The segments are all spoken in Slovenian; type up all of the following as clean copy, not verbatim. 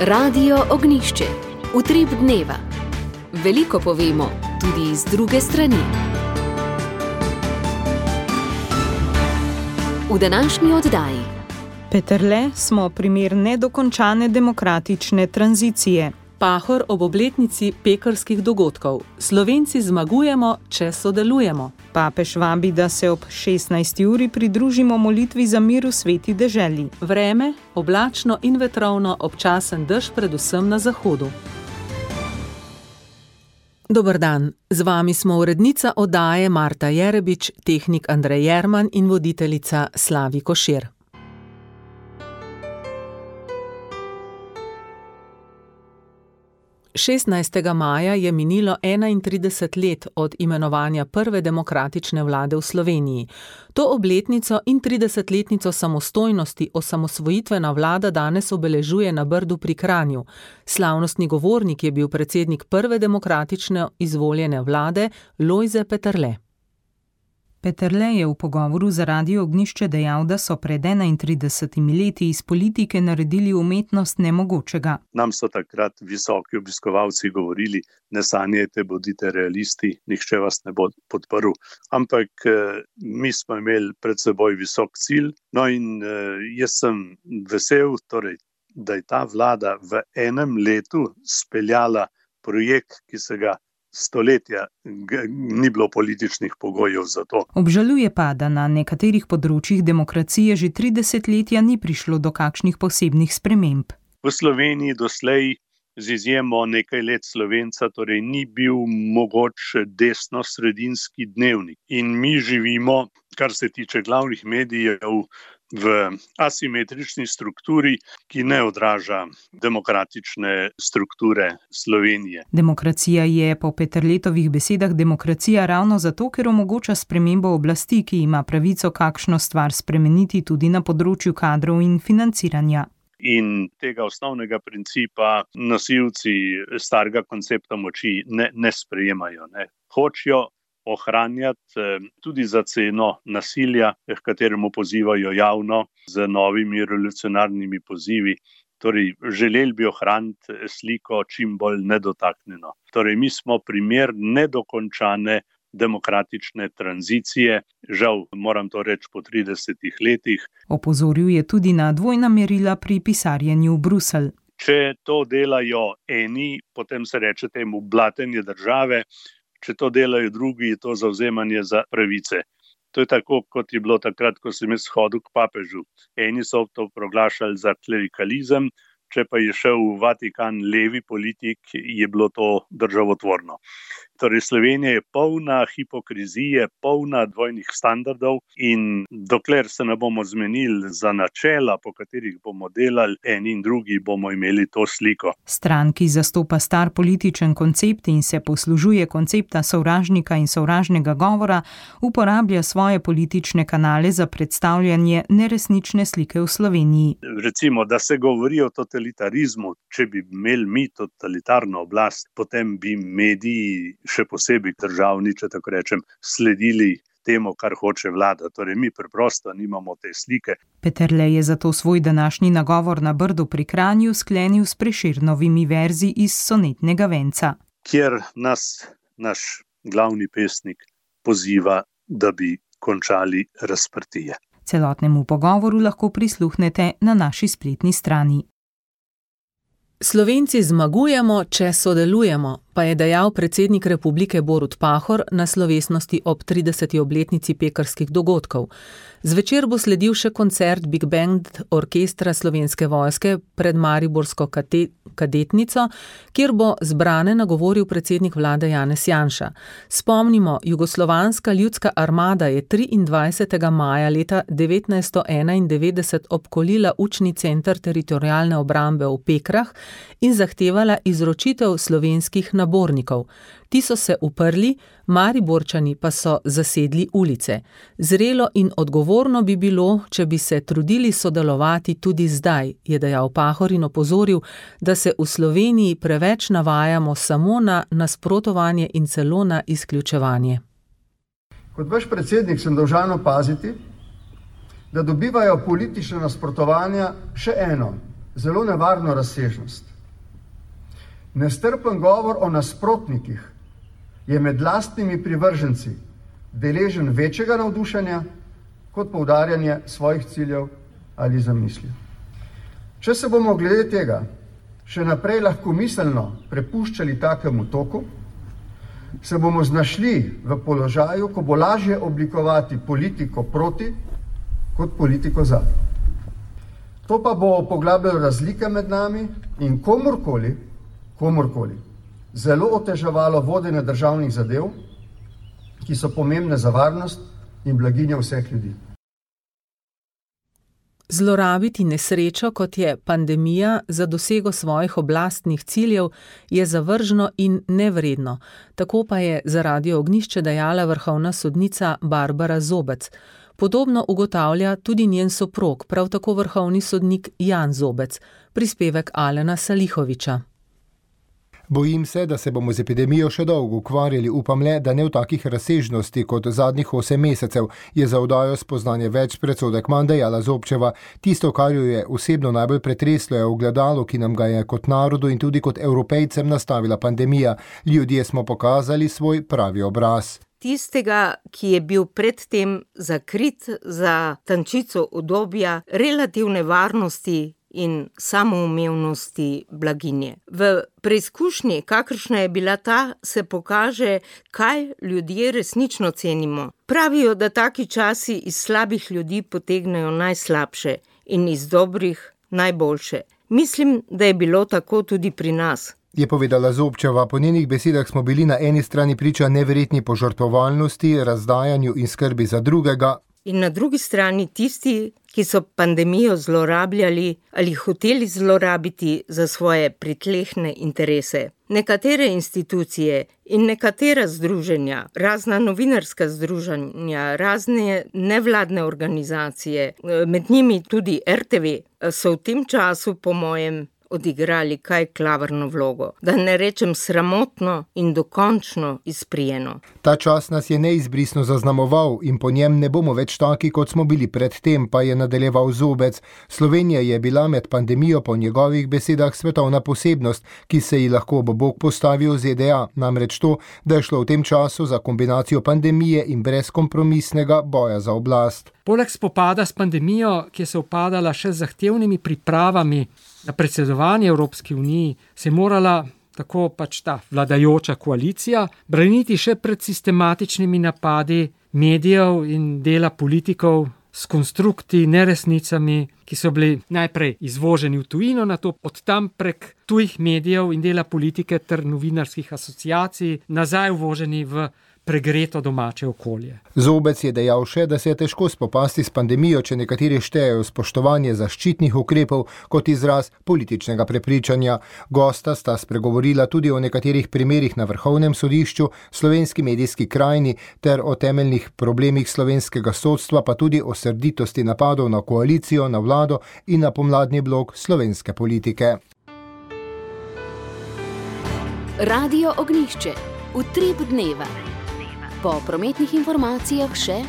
Radio Ognišče, utrip dneva. Veliko povemo, tudi z druge strani. V današnji oddaji. Peterle smo primer nedokončane demokratične tranzicije. Pahor ob obletnici pekrskih dogodkov. Slovenci zmagujemo, če sodelujemo. Papež vabi, da se ob 16. uri pridružimo molitvi za mir v sveti deželi. Vreme, oblačno in vetrovno, občasen dež predvsem na zahodu. Dober dan, z vami smo urednica oddaje Marta Jerebič, tehnik Andrej Jerman in voditeljica Slavi Košir. Maja je minilo 31 let od imenovanja prve demokratične vlade v Sloveniji. To obletnico in 30-letnico samostojnosti osamosvojitvena vlada danes obeležuje na Brdu pri Kranju. Slavnostni govornik je bil predsednik prve demokratične izvoljene vlade Lojze Peterle. Peterle je v pogovoru za Radio Ognišče dejal, da so pred 31 leti iz politike naredili umetnost nemogočega. Nam so takrat visoki obiskovalci govorili, ne sanjajte, bodite realisti, nihče vas ne bo podprl. Ampak mi smo imeli pred seboj visok cilj, no in jaz sem vesel, da je ta vlada v enem letu speljala projekt, ki se ga stoletja ni bilo političnih pogojev za to. Obžaluje pa, da na nekaterih področjih demokracije že 30 letja ni prišlo do kakšnih posebnih sprememb. V Sloveniji doslej z izjemo nekaj let Slovenca ni bil mogoč desno-sredinski dnevnik. In mi živimo, kar se tiče glavnih medijev, v asimetrični strukturi, ki ne odraža demokratične strukture Slovenije. Demokracija je po Peterletovih besedah demokracija ravno zato, ker omogoča spremembo oblasti, ki ima pravico kakšno stvar spremeniti tudi na področju kadrov in financiranja. In tega osnovnega principa nosilci starega koncepta moči ne sprejemajo. Hočejo ohranjati tudi za ceno nasilja, k kateremu pozivajo javno z novimi revolucionarnimi pozivi. Želeli bi ohraniti sliko čim bolj nedotaknjeno. Mi smo primer nedokončane demokratične tranzicije, žal moram to reči po 30 letih. Opozoril je tudi na dvojna merila pri pisarjenju v Bruselj. Če to delajo eni, potem se reče temu blatenje države. Če to delajo drugi, je to zavzemanje za pravice. To je tako, kot je bilo takrat, ko sem jaz hodil k papežu. Eni so to proglašali za klerikalizem, če pa je šel v Vatikan levi politik, je bilo to državotvorno. Slovenija je polna hipokrizije, polna dvojnih standardov in dokler se ne bomo zmenili za načela, po katerih bomo delali eni in drugi, bomo imeli to sliko. Stran, ki zastopa star političen koncept in se poslužuje koncepta sovražnika in sovražnega govora, uporablja svoje politične kanale za predstavljanje neresnične slike v Sloveniji. Recimo, da se govori o totalitarizmu, če bi imeli mi totalitarno oblast, potem bi mediji, še posebej državni, če tako rečem, sledili temu, kar hoče vlada. Mi preprosto nimamo te slike. Peterle je zato svoj današnji nagovor na Brdu pri Kranju sklenil s Prešernovimi verzi iz sonetnega venca. Kjer nas naš glavni pesnik poziva, da bi končali razprtije. Celotnemu pogovoru lahko prisluhnete na naši spletni strani. Slovenci zmagujemo, če sodelujemo, pa je dejal predsednik Republike Borut Pahor na slovesnosti ob 30. obletnici pekrskih dogodkov. Zvečer bo sledil še koncert Big Band orkestra Slovenske vojske pred mariborsko kadetnico, kjer bo zbrane nagovoril predsednik vlade Janez Janša. Spomnimo, Jugoslovanska ljudska armada je 23. maja leta 1991 obkolila učni center teritorialne obrambe v Pekrah in zahtevala izročitev slovenskih nabornikov. Ti so se uprli, Mariborčani pa so zasedli ulice. Zrelo in odgovorno bi bilo, če bi se trudili sodelovati tudi zdaj, je dejal Pahor in opozoril, da se v Sloveniji preveč navajamo samo na nasprotovanje in celo na izključevanje. Kot vaš predsednik sem dolžan opaziti, da dobivajo politične nasprotovanja še eno, zelo nevarno razsežnost. Nestrpen govor o nasprotnikih je med lastnimi privrženci deležen večjega navdušenja kot poudarjanje svojih ciljev ali zamisli. Če se bomo glede tega še naprej lahkomiselno prepuščali takemu toku, se bomo znašli v položaju, ko bo lažje oblikovati politiko proti kot politiko za. To pa bo poglabljalo razlike med nami in komorkoli zelo oteževalo vodenje državnih zadev, ki so pomembne za varnost in blaginjo vseh ljudi. Zlorabiti nesrečo, kot je pandemija, za dosego svojih oblastnih ciljev, je zavržno in nevredno. Tako pa je za Radio Ognjišče dejala vrhovna sodnica Barbara Zobec. Podobno ugotavlja tudi njen soprog, prav tako vrhovni sodnik Jan Zobec. Prispevek Alena Salihoviča. Bojim se, da se bomo z epidemijo še dolgo ukvarjali, upam le, da ne v takih razsežnosti kot zadnjih 8 mesecev, je za oddajo Spoznanje več predsodek manj dejala Zobčeva. Tisto, kar jo je osebno najbolj pretreslo, je ogledalo, ki nam ga je kot narodu in tudi kot Evropejcem nastavila pandemija. Ljudje smo pokazali svoj pravi obraz. Tistega, ki je bil predtem zakrit za tančico udobja, relativne varnosti in samoumevnosti blaginje. V preizkušnji, kakršna je bila ta, se pokaže, kaj ljudje resnično cenimo. Pravijo, da taki časi iz slabih ljudi potegnejo najslabše in iz dobrih najboljše. Mislim, da je bilo tako tudi pri nas. Je povedala Zobčeva. Po njenih besedah smo bili na eni strani priča neverjetni požrtvovalnosti, razdajanju in skrbi za drugega. In na drugi strani tisti, ki so pandemijo zlorabljali ali hoteli zlorabiti za svoje pritlehne interese. Nekatere institucije in nekatera združenja, razna novinarska združenja, razne nevladne organizacije, med njimi tudi RTV, so v tem času, po mojem, odigrali kaj klavrno vlogo, da ne rečem sramotno in dokončno izprijeno. Ta čas nas je neizbrisno zaznamoval in po njem ne bomo več taki, kot smo bili predtem, pa je nadaljeval Zobec. Slovenija je bila med pandemijo po njegovih besedah svetovna posebnost, ki se ji lahko ob bok postavi v ZDA, namreč to, da je šlo v tem času za kombinacijo pandemije in brezkompromisnega boja za oblast. Poleg spopada s pandemijo, ki je se upadala še z zahtevnimi pripravami na predsedovanje Evropski uniji, se je morala, tako pač ta vladajoča koalicija, braniti še pred sistematičnimi napadi medijev in dela politikov s konstrukti, neresnicami, ki so bili najprej izvoženi v tujino, nato od tam prek tujih medijev in dela politike ter novinarskih asociacij nazaj uvoženi v pregreto domače okolje. Zobec je dejal še, da se je težko spopasti s pandemijo, če nekateri štejejo spoštovanje zaščitnih ukrepov kot izraz političnega prepričanja. Gosta sta spregovorila tudi o nekaterih primerih na Vrhovnem sodišču, slovenski medijski krajini ter o temeljnih problemih slovenskega sodstva, pa tudi o srditosti napadov na koalicijo, na vlado in na pomladni blok slovenske politike. Radio Ognjišče. Utrip dneva. Po prometnih informacijah še: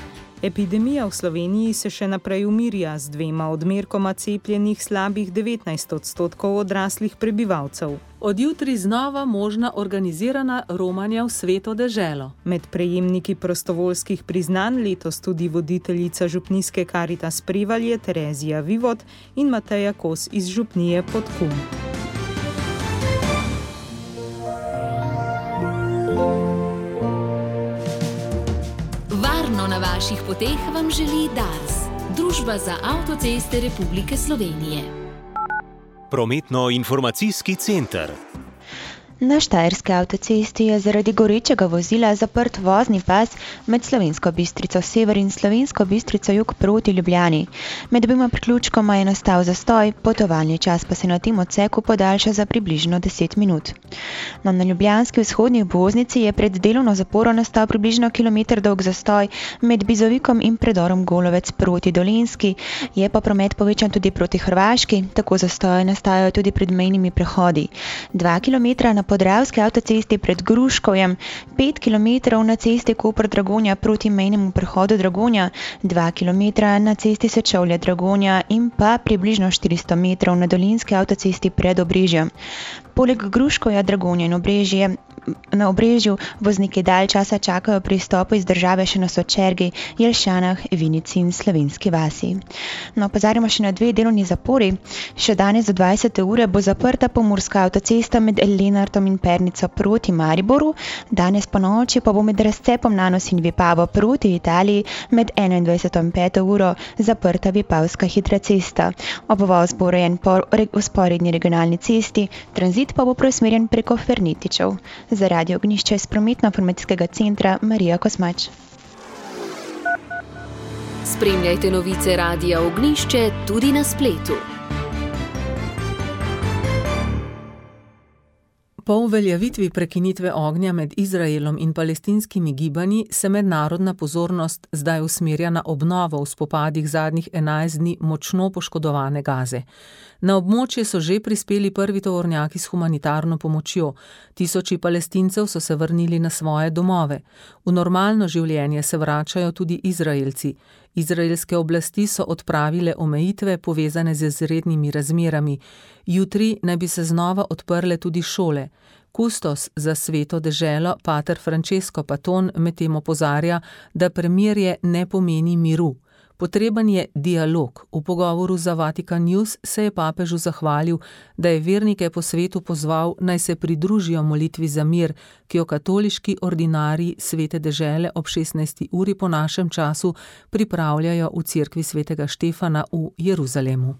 epidemija v Sloveniji se še naprej umirja z 2 odmerkoma cepljenih slabih 19% odraslih prebivalcev. Od jutri znova možna organizirana romanja v Sveto deželo. Med prejemniki prostovoljskih priznanj letos tudi voditeljica župnijske Karitas Prevalje Terezija Vivod in Mateja Kos iz župnije Podkum. Na vaših poteh vam želi Dars, Družba za avtoceste Republike Slovenije. Prometno-informacijski center. Na Štajerski avtocesti je zaradi gorečega vozila zaprt vozni pas med Slovensko Bistrico sever in Slovensko Bistrico jug proti Ljubljani. Med obima priključkoma je nastal zastoj, potovalni čas pa se na tem odseku podaljša za približno 10 minut. Na ljubljanski vzhodni obvoznici je pred delovno zaporo nastal približno kilometer dolg zastoj med Bizovikom in predorom Golovec proti Dolenjski, je pa promet povečan tudi proti Hrvaški, tako zastoje nastajajo tudi pred mejnimi prehodi. 2 kilometra na podravski avtocesti pred Gruškovjem, 5 km na cesti Koper-Dragonja proti mejnemu prehodu Dragonja, 2 km na cesti Sečovlje-Dragonja in pa približno 400 metrov na dolinski avtocesti pred Obrežjem. Poleg Gruškovja, Dragonja in na Obrežju vozniki dalj časa čakajo pri izstopu iz države še na Sočergi, Jelšanah, Vinici in Slovenski vasi. No, opozarjamo še na 2 delovni zapori. Še danes do 20. ure bo zaprta pomurska avtocesta med Lenartom in Pernico proti Mariboru, danes po noči pa bo med razcepom Nanos in Vipavo proti Italiji med 21. in 5. uro zaprta Vipavska hitra cesta. Obvoz bo urejen po vzporedni regionalni cesti, tranzit pa bo preusmerjen preko Fernetičev. Za Radio Ognjišče iz Prometno-informacijskega centra Marija Kosmač. Spremljajte novice Radia Ognjišče tudi na spletu. Po uveljavitvi prekinitve ognja med Izraelom in palestinskimi gibanji se mednarodna pozornost zdaj usmerja na obnovo v spopadih zadnjih 11 dni močno poškodovane Gaze. Na območje so že prispeli prvi tovornjaki s humanitarno pomočjo. Tisoči Palestincev so se vrnili na svoje domove. V normalno življenje se vračajo tudi Izraelci. Izraelske oblasti so odpravile omejitve povezane z izrednimi razmerami. Jutri naj bi se znova odprle tudi šole. Kustos za Sveto deželo, pater Francesco Paton, medtem opozarja, da premirje ne pomeni miru. Potreben je dialog. V pogovoru za Vatikan News se je papežu zahvalil, da je vernike po svetu pozval, naj se pridružijo molitvi za mir, ki jo katoliški ordinarji Svete dežele ob 16. uri po našem času pripravljajo v cerkvi Svetega Štefana v Jeruzalemu.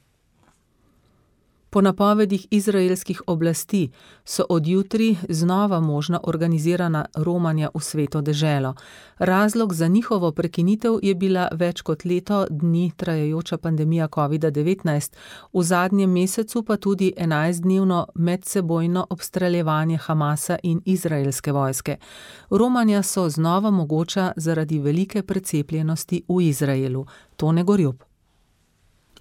Po napovedih izraelskih oblasti so od jutri znova možna organizirana romanja v Sveto deželo. Razlog za njihovo prekinitev je bila več kot leto dni trajajoča pandemija COVID-19, v zadnjem mesecu pa tudi 11-dnevno medsebojno obstreljevanje Hamasa in izraelske vojske. Romanja so znova mogoča zaradi velike precepljenosti v Izraelu. Tone Gorjup.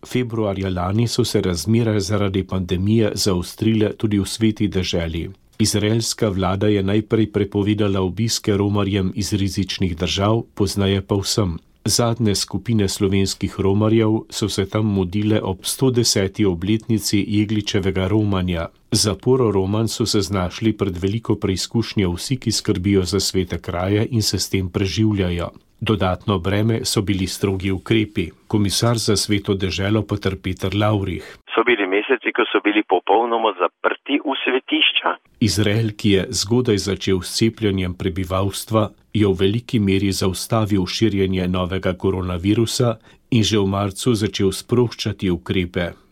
Februarja lani so se razmere zaradi pandemije zaostrile tudi v Sveti deželi. Izraelska vlada je najprej prepovedala obiske romarjem iz rizičnih držav, pozneje pa vsem. Zadnje skupine slovenskih romarjev so se tam mudile ob 110. obletnici Jegličevega romanja. Zaporo roman so se znašli pred veliko preizkušnjo vsi, ki skrbijo za svete kraje in se s tem preživljajo. Dodatno breme so bili strogi ukrepi. Komisar za Sveto deželo pater Peter Lavrih. So bili meseci, ko so bili popolnoma zaprti v svetišča. Izrael, ki je zgodaj začel s cepljenjem prebivalstva, je v veliki meri zaustavil širjenje novega koronavirusa in že v marcu začel sproščati ukrepe.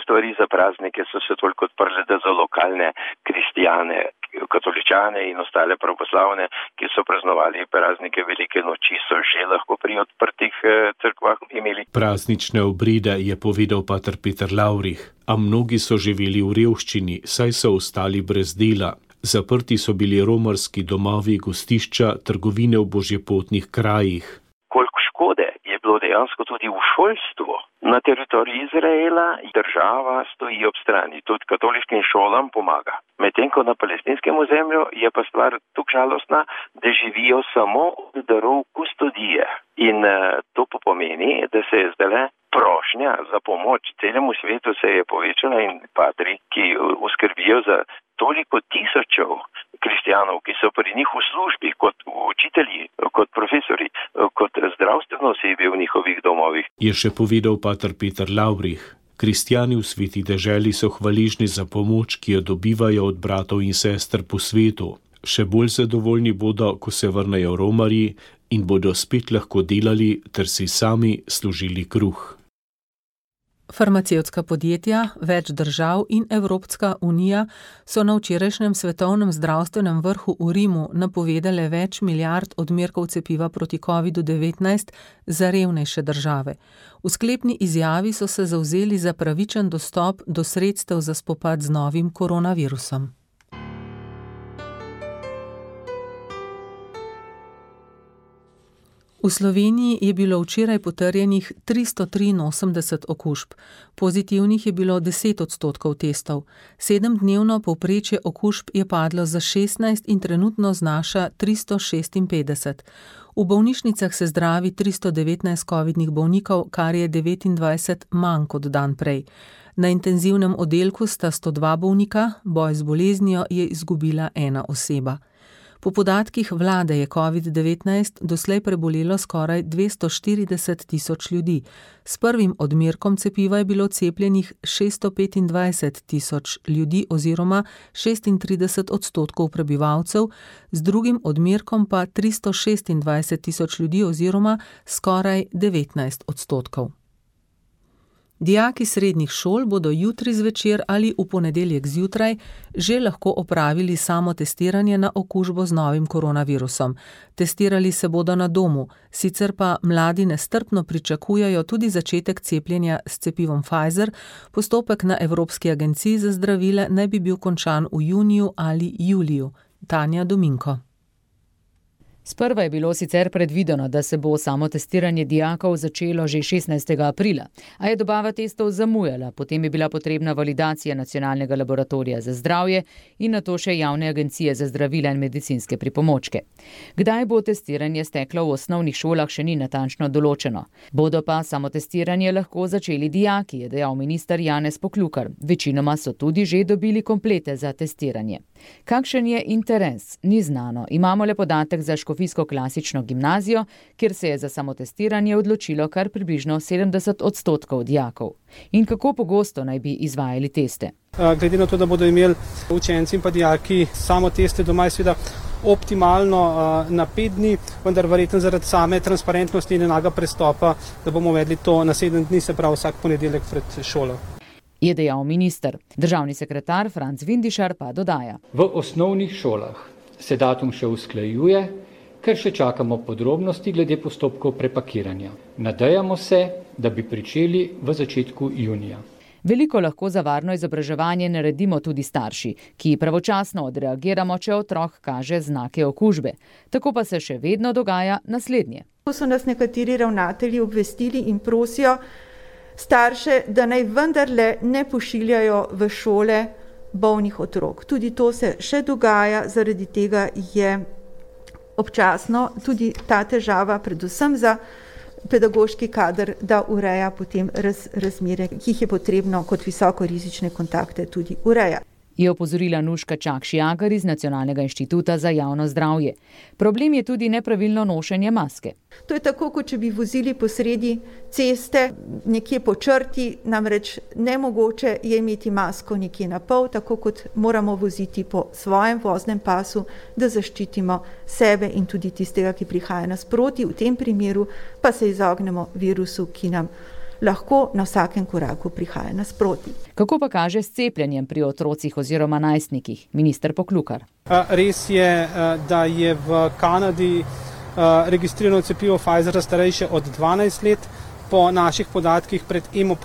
Stvari za praznike so se toliko odprle, da za lokalne kristijane, katoličane in ostale pravoslavne, ki so praznovali praznike velike noči, so že lahko pri odprtih cerkvah imeli. Praznične obrede je povedal pater Peter Lavrih, a mnogi so živeli v revščini, saj so ostali brez dela. Zaprti so bili romarski domovi, gostišča, trgovine v božjepotnih krajih. Koliko škode je bilo dejansko tudi v šolstvu. Na teritoriju Izraela država stoji ob strani, tudi katoliškim šolam pomaga. Medtem ko na palestinskem ozemlju je pa stvar tukaj žalostna, da živijo samo od darov kustodije. In to pomeni, da se je zdaj prošnja za pomoč celemu svetu se je povečala in patri, ki uskrbijo za toliko tisočev kristijanov, ki so pri njih v službi, kot učitelji, kot profesori, kot zdravstveno osebje v njihovih domovih. Je še povedal pater Peter Lavrih. Kristjani v Sveti deželi so hvaležni za pomoč, ki jo dobivajo od bratov in sester po svetu. Še bolj zadovoljni bodo, ko se vrnejo romarji in bodo spet lahko delali ter si sami služili kruh. Farmacevtska podjetja, več držav in Evropska unija so na včerajšnjem svetovnem zdravstvenem vrhu v Rimu napovedale več milijard odmerkov cepiva proti COVID-19 za revnejše države. V sklepni izjavi so se zavzeli za pravičen dostop do sredstev za spopad z novim koronavirusom. V Sloveniji je bilo včeraj potrjenih 383 okužb, pozitivnih je bilo 10% testov, 7-dnevno povprečje okužb je padlo za 16 in trenutno znaša 356. V bolnišnicah se zdravi 319 covidnih bolnikov, kar je 29 manj kot dan prej. Na intenzivnem oddelku sta 102 bolnika, boj z boleznijo je izgubila ena oseba. Po podatkih vlade je COVID-19 doslej prebolelo skoraj 240 tisoč ljudi. S prvim odmerkom cepiva je bilo cepljenih 625 tisoč ljudi oziroma 36% prebivalcev, z drugim odmerkom pa 326 tisoč ljudi oziroma skoraj 19%. Dijaki srednjih šol bodo jutri zvečer ali v ponedeljek zjutraj že lahko opravili samotestiranje na okužbo z novim koronavirusom. Testirali se bodo na domu, sicer pa mladi nestrpno pričakujejo tudi začetek cepljenja s cepivom Pfizer. Postopek na Evropski agenciji za zdravila naj bi bil končan v juniju ali juliju. Tanja Dominko. Sprva je bilo sicer predvideno, da se bo samotestiranje dijakov začelo že 16. aprila, a je dobava testov zamujala, potem je bila potrebna validacija Nacionalnega laboratorija za zdravje in nato še Javne agencije za zdravila in medicinske pripomočke. Kdaj bo testiranje steklo v osnovnih šolah, še ni natančno določeno. Bodo pa samotestiranje lahko začeli dijaki, je dejal minister Janez Poklukar. Večinoma so tudi že dobili komplete za testiranje. Kakšen je interes? Ni znano. Imamo le podatek za Škofijsko klasično gimnazijo, kjer se je za samotestiranje odločilo kar približno 70% dijakov. In kako pogosto naj bi izvajali teste? Glede na to, da bodo imeli učenci in pa dijaki samo teste doma, je seveda optimalno na 5 dni, vendar verjetno zaradi same transparentnosti in enega prestopa, da bomo uvedli to na 7 dni, se pravi vsak ponedeljek pred šolo. Je dejal minister. Državni sekretar Franc Vindišar pa dodaja. V osnovnih šolah se datum še usklajuje, ker še čakamo podrobnosti glede postopkov prepakiranja. Nadejamo se, da bi pričeli v začetku junija. Veliko lahko za varno izobraževanje naredimo tudi starši, ki pravočasno odreagiramo, če otrok kaže znake okužbe. Tako pa se še vedno dogaja naslednje. Ko so nas nekateri ravnatelji obvestili in prosijo starše, da naj vendarle ne pošiljajo v šole bolnih otrok. Tudi to se še dogaja, zaradi tega je občasno tudi ta težava, predvsem za pedagoški kader, da ureja potem razmere, ki jih je potrebno kot visokorizične kontakte tudi urejati. Je opozorila Nuška Čakš-Jagar iz Nacionalnega inštituta za javno zdravje. Problem je tudi nepravilno nošenje maske. To je tako, kot če bi vozili po sredi ceste, nekje po črti, namreč nemogoče je imeti masko nekje na pol, tako kot moramo voziti po svojem voznem pasu, da zaščitimo sebe in tudi tistega, ki prihaja nasproti. V tem primeru pa se izognemo virusu, ki nam lahko na vsakem koraku prihaja nasproti. Kako pa kaže s cepljenjem pri otrocih oziroma najstnikih? Minister Poklukar. Res je, da je v Kanadi registrirano cepivo Pfizer za starejše od 12 let. Po naših podatkih pred EMO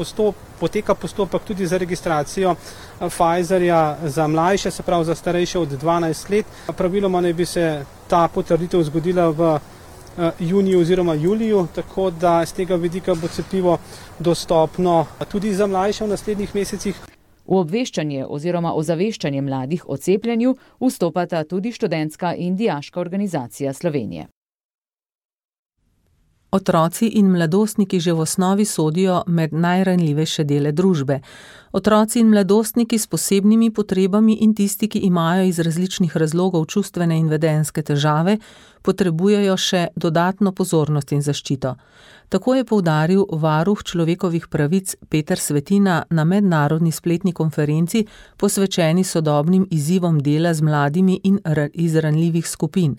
poteka postopek tudi za registracijo Pfizerja za mlajše, se pravi za starejše od 12 let. Praviloma naj bi se ta potrditev zgodila v juniju oziroma juliju, tako da z tega vidika bo cepivo dostopno tudi za mlajše v naslednjih mesecih. V obveščanje oziroma ozaveščanje mladih o cepljenju vstopata tudi študentska in dijaška organizacija Slovenije. Otroci in mladostniki že v osnovi sodijo med najranljivejše dele družbe. Otroci in mladostniki s posebnimi potrebami in tisti, ki imajo iz različnih razlogov čustvene in vedenjske težave, potrebujejo še dodatno pozornost in zaščito. Tako je poudaril varuh človekovih pravic Peter Svetina na mednarodni spletni konferenci posvečeni sodobnim izzivom dela z mladimi in iz ranljivih skupin.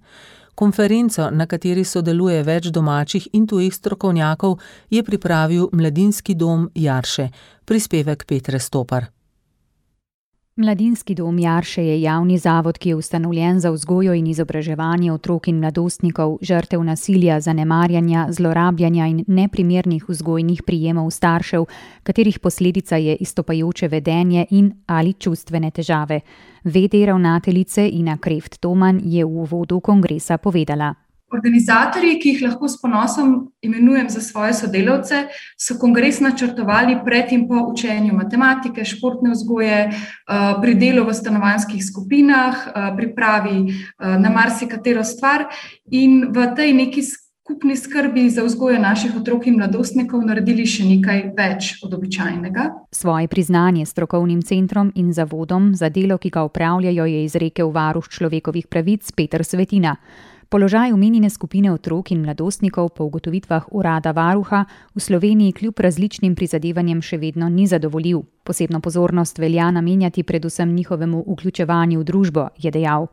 Konferenco, na kateri sodeluje več domačih in tujih strokovnjakov, je pripravil Mladinski dom Jarše. Prispevek Petre Stopar. Mladinski dom Jarše je javni zavod, ki je ustanovljen za vzgojo in izobraževanje otrok in mladostnikov, žrtev nasilja, zanemarjanja, zlorabljanja in neprimernih vzgojnih prijemov staršev, katerih posledica je izstopajoče vedenje in ali čustvene težave. VD ravnateljice Ina Kreft-Toman je v uvodu kongresa povedala. Organizatorji, ki jih lahko s ponosom imenujem za svoje sodelavce, so kongres načrtovali pred in po učenju matematike, športne vzgoje, pri delu v stanovanjskih skupinah, pripravi na marsikatero stvar in v tej neki skupni skrbi za vzgojo naših otrok in mladostnikov naredili še nekaj več od običajnega. Svoje priznanje strokovnim centrom in zavodom za delo, ki ga upravljajo, je izrekel varuh človekovih pravic Peter Svetina. Položaj omenjene skupine otrok in mladostnikov po ugotovitvah urada varuha v Sloveniji kljub različnim prizadevanjem še vedno ni zadovoljiv. Posebno pozornost velja namenjati predvsem njihovemu vključevanju v družbo, je dejal.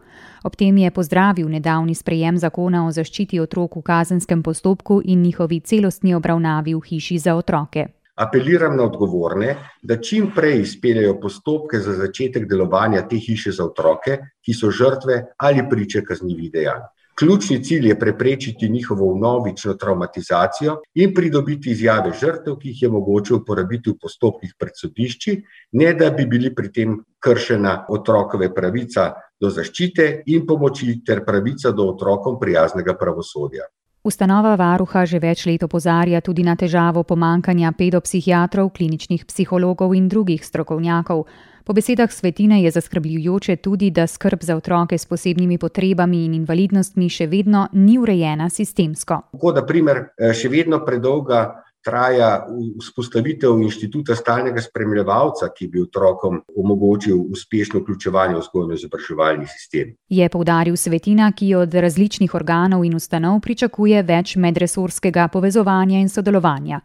Ob tem je pozdravil nedavni sprejem zakona o zaščiti otrok v kazenskem postopku in njihovi celostni obravnavi v hiši za otroke. Apeliram na odgovorne, da čim prej izpeljejo postopke za začetek delovanja te hiše za otroke, ki so žrtve ali priče kaznivih dejanj. Ključni cilj je preprečiti njihovo vnovično travmatizacijo in pridobiti izjave žrtev, ki jih je mogoče uporabiti v postopkih pred sodišči, ne da bi bili pri tem kršena otrokove pravica do zaščite in pomoči ter pravica do otrokom prijaznega pravosodja. Ustanova varuha že več let opozarja tudi na težavo pomanjkanja pedopsihiatrov, kliničnih psihologov in drugih strokovnjakov. Po besedah Svetine je zaskrbljujoče tudi, da skrb za otroke s posebnimi potrebami in invalidnostmi še vedno ni urejena sistemsko. Tako, na primer, še vedno predolga traja vzpostavitev inštituta stalnega spremljevalca, ki bi otrokom omogočil uspešno vključevanje v vzgojno-izobraževalni sistem. Je poudaril Svetina, ki od različnih organov in ustanov pričakuje več medresorskega povezovanja in sodelovanja.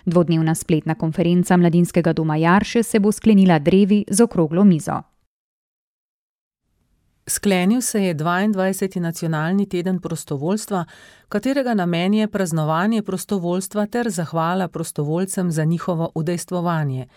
Dvodnevna spletna konferenca Mladinskega doma Jarše se bo sklenila drevi z okroglo mizo. Sklenil se je 22. nacionalni teden prostovoljstva, katerega namen je praznovanje prostovoljstva ter zahvala prostovoljcem za njihovo udejstvovanje.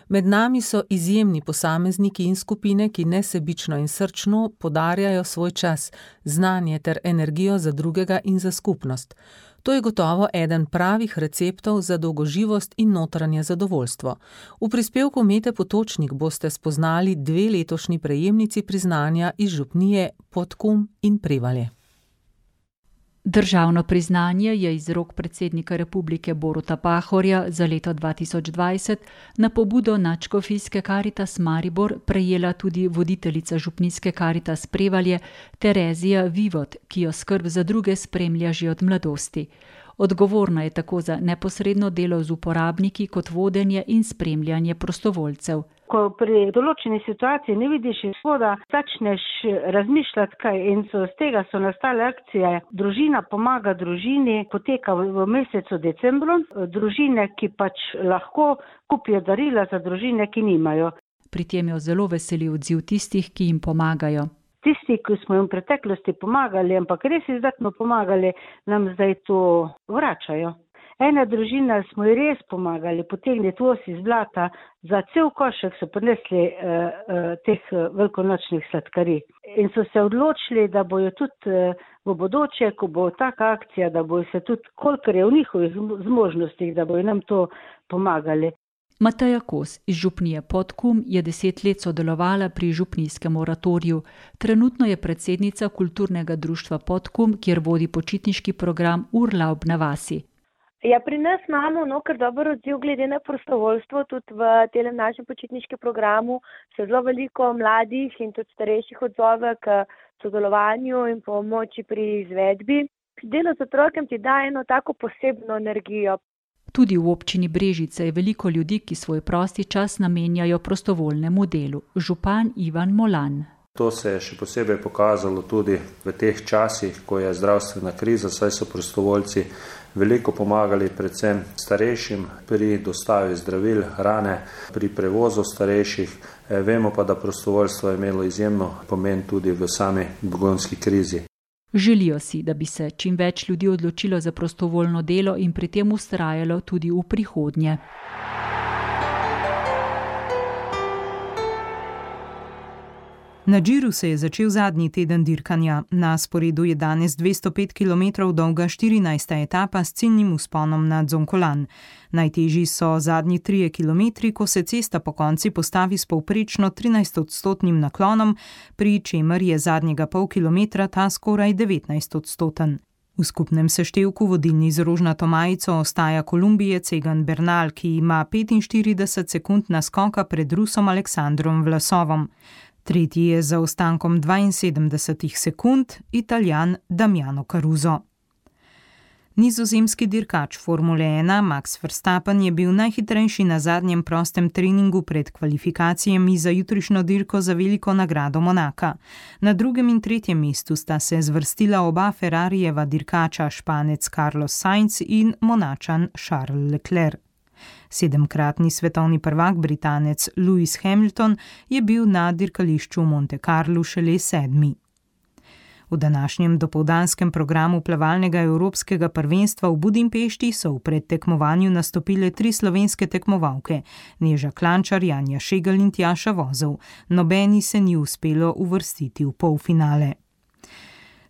Med nami so izjemni posamezniki in skupine, ki nesebično in srčno podarjajo svoj čas, znanje ter energijo za drugega in za skupnost. To je gotovo eden pravih receptov za dolgoživost in notranje zadovoljstvo. V prispevku Mete Potočnik boste spoznali 2 letošnji prejemnici priznanja iz župnije Podkum in Prevalje. Državno priznanje je iz rok predsednika Republike Boruta Pahorja za leto 2020 na pobudo Nadškofijske Karitas Maribor prejela tudi voditeljica župnijske Karitas Prevalje Terezija Vivot, ki jo skrb za druge spremlja že od mladosti. Odgovorna je tako za neposredno delo z uporabniki kot vodenje in spremljanje prostovoljcev. Ko pri določeni situaciji ne vidiš izhoda, začneš razmišljati kaj in z tega so nastale akcije. Družina pomaga družini, poteka v mesecu decembru. Družine, ki pač lahko kupijo darila za družine, ki nimajo. Pri tem jo zelo veseli odziv tistih, ki jim pomagajo. Tisti, ki smo jim v preteklosti pomagali, ampak res izdatno pomagali, nam zdaj to vračajo. Ena družina smo ji res pomagali potegniti voz iz blata, za cel košek so prinesli teh velikonočnih sladkarij. In so se odločili, da bojo tudi v bodoče, ko bo taka akcija, da bojo se tudi, kolikor je v njihovih zmožnostih, da bojo nam to pomagali. Mateja Kos iz župnije Podkum je 10 let sodelovala pri župnijskem oratoriju. Trenutno je predsednica kulturnega društva Podkum, kjer vodi počitniški program Urlaub na vasi. Ja, pri nas imamo kar dober odziv glede na prostovoljstvo, tudi v tem našem počitniškem programu se zelo veliko mladih in tudi starejših odzove k sodelovanju in pomoči pri izvedbi. Delo z otrokom ti daje eno tako posebno energijo. Tudi v občini Brežice je veliko ljudi, ki svoj prosti čas namenjajo prostovoljnemu delu. Župan Ivan Molan. To se je še posebej pokazalo tudi v teh časih, ko je zdravstvena kriza, saj so prostovoljci veliko pomagali predvsem starejšim pri dostavi zdravil, hrane, pri prevozu starejših. Vemo pa, da prostovoljstvo je imelo izjemno pomen tudi v sami begunski krizi. Želijo si, da bi se čim več ljudi odločilo za prostovoljno delo in pri tem vztrajalo tudi v prihodnje. Na Džiru se je začel zadnji teden dirkanja. Na sporedu je danes 205 km dolga 14. etapa s ciljnim vzponom na Dzonkolan. Najtežji so zadnji 3 km, ko se cesta po konci postavi s povprečno 13-odstotnim naklonom, pri čemer je zadnjega pol kilometra ta skoraj 19-odstoten. V skupnem seštevku vodilni z rožnato majico ostaja Kolumbijec Egan Bernal, ki ima 45 sekund naskoka pred Rusom Aleksandrom Vlasovom. Tretji je z zaostankom 72 sekund Italijan Damiano Caruso. Nizozemski dirkač Formule 1 Max Verstappen je bil najhitrejši na zadnjem prostem treningu pred kvalifikacijami za jutrišnjo dirko za veliko nagrado Monaka. Na drugem in tretjem mestu sta se zvrstila oba Ferrarijeva dirkača, Španec Carlos Sainz in Monačan Charles Leclerc. 7-kratni svetovni prvak Britanec Lewis Hamilton je bil na dirkališču v Monte Carlu šele 7. V današnjem dopoldanskem programu plavalnega evropskega prvenstva v Budimpešti so v predtekmovanju nastopile 3 slovenske tekmovalke, Neža Klančar, Janja Šegel in Tjaša Vozel. Nobeni se ni uspelo uvrstiti v polfinale.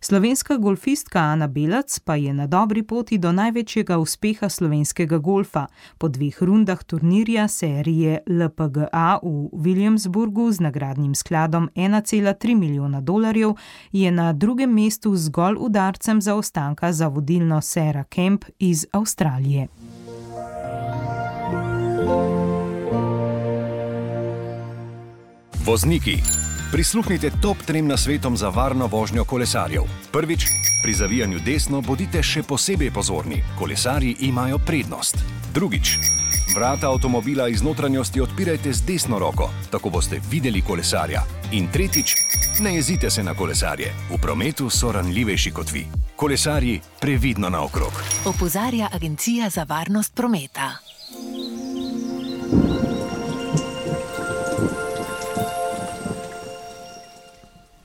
Slovenska golfistka Ana Belac pa je na dobri poti do največjega uspeha slovenskega golfa. Po 2 rundah turnirja serije LPGA v Williamsburgu z nagradnim skladom $1,3 milijona je na drugem mestu zgolj udarcem zaostanka za vodilno Sarah Kemp iz Avstralije. Vozniki. Prisluhnite top 3 nasvetom za varno vožnjo kolesarjev. Prvič, pri zavijanju desno bodite še posebej pozorni. Kolesarji imajo prednost. Drugič, vrata avtomobila iz notranjosti odpirajte z desno roko, tako boste videli kolesarja. In tretjič, ne jezite se na kolesarje. V prometu so ranljivejši kot vi. Kolesarji, previdno naokrog. Opozarja Agencija za varnost prometa.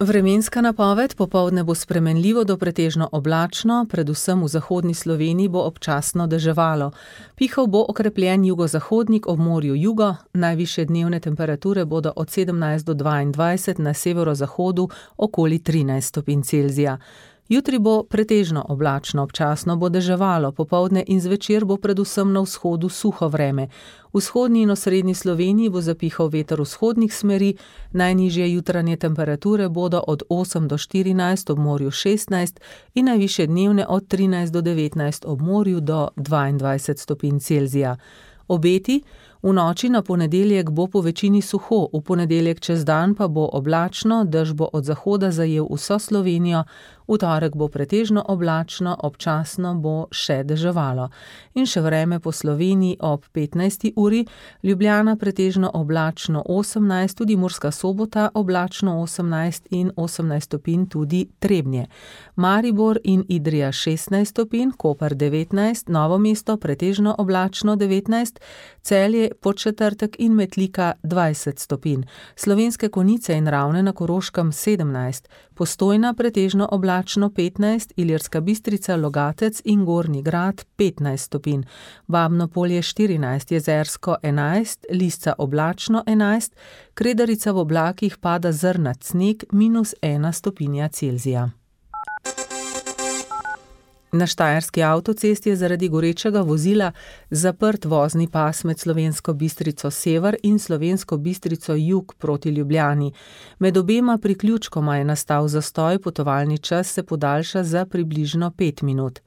Vremenska napoved: popoldne bo spremenljivo do pretežno oblačno, predvsem v zahodni Sloveniji bo občasno deževalo. Pihal bo okrepljen jugozahodnik, ob morju jugo, najvišje dnevne temperature bodo od 17 do 22, na severozahodu okoli 13 stopinj Celzija. Jutri bo pretežno oblačno, občasno bo deževalo, popoldne in zvečer bo predvsem na vzhodu suho vreme. V vzhodni in osrednji Sloveniji bo zapihal veter vzhodnih smeri, najnižje jutranje temperature bodo od 8 do 14, ob morju 16 in najvišje dnevne od 13 do 19, ob morju do 22 stopinj Celzija. Obeti: v noči na ponedeljek bo po večini suho, v ponedeljek čez dan pa bo oblačno, dež bo od zahoda zajel vso Slovenijo, v torek bo pretežno oblačno, občasno bo še deževalo. In še vreme po Sloveniji ob 15. uri: Ljubljana pretežno oblačno 18, tudi Murska Sobota oblačno 18 in 18 stopinj tudi Trebnje. Maribor in Idrija 16 stopinj, Koper 19, Novo mesto pretežno oblačno 19, Celje, Podčetrtek in Metlika 20 stopinj. Slovenske Konjice in Ravne na Koroškem 17, Postojna pretežno oblačno 15, Ilirska Bistrica, Logatec in Gornji Grad 15 stopinj. Babno Polje 14, Jezersko 11, Lisca oblačno 11, Kredarica v oblakih, pada zrnat sneg -1 stopinja Celzija. Na Štajerski avtocesti je zaradi gorečega vozila zaprt vozni pas med Slovensko Bistrico sever in Slovensko Bistrico jug proti Ljubljani. Med obema priključkoma je nastal zastoj, potovalni čas se podaljša za približno 5 minut.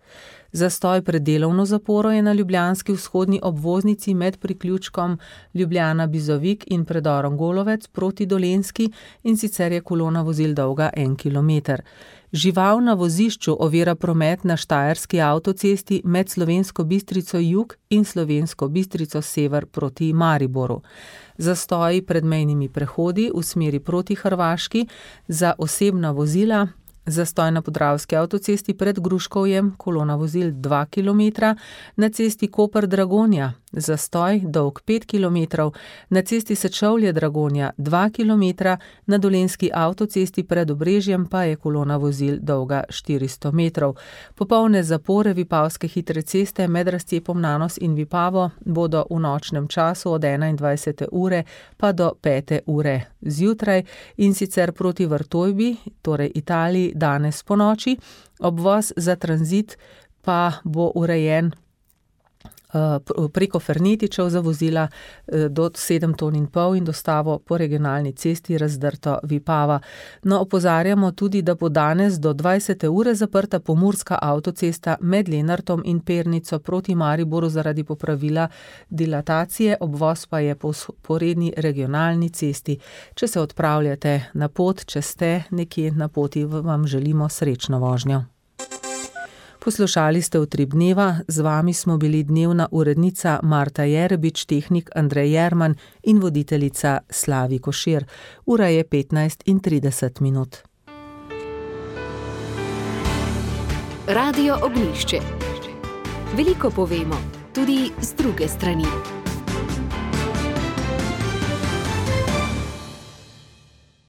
Zastoj pred delovno zaporo je na ljubljanski vzhodni obvoznici med priključkom Ljubljana-Bizovik in predorom Golovec proti Dolenjski, in sicer je kolona vozil dolga 1 kilometer. Žival na vozišču ovira promet na Štajerski avtocesti med Slovensko Bistrico jug in Slovensko Bistrico sever proti Mariboru. Zastoji pred mejnimi prehodi v smeri proti Hrvaški za osebna vozila: zastoj na Podravski avtocesti pred Gruškovjem, kolona vozil 2 km, na cesti Koper-Dragonja zastoj dolg 5 km, na cesti Sečovlje-Dragonja 2 km, na Dolenjski avtocesti pred Obrežjem pa je kolona vozil dolga 400 metrov. Popolne zapore Vipavske hitre ceste med razcepom Nanos in Vipavo bodo v nočnem času od 21. ure pa do 5. ure zjutraj, in sicer proti Vrtojbi, torej Italiji, danes po noči. Obvoz za tranzit pa bo urejen preko Fernetičev za vozila do 7,5 ton in dostavo po regionalni cesti Razdrto Vipava. No, opozarjamo tudi, da bo danes do 20. ure zaprta pomurska avtocesta med Lenartom in Pernico proti Mariboru zaradi popravila dilatacije, obvoz pa je po sporedni regionalni cesti. Če se odpravljate na pot, če ste nekje na poti, vam želimo srečno vožnjo. Poslušali ste Utrip dneva, z vami smo bili dnevna urednica Marta Jerebič, tehnik Andrej Jerman in voditeljica Slavi Košir. Ura je 15:30. Radio Ognjišče. Veliko povemo, tudi z druge strani.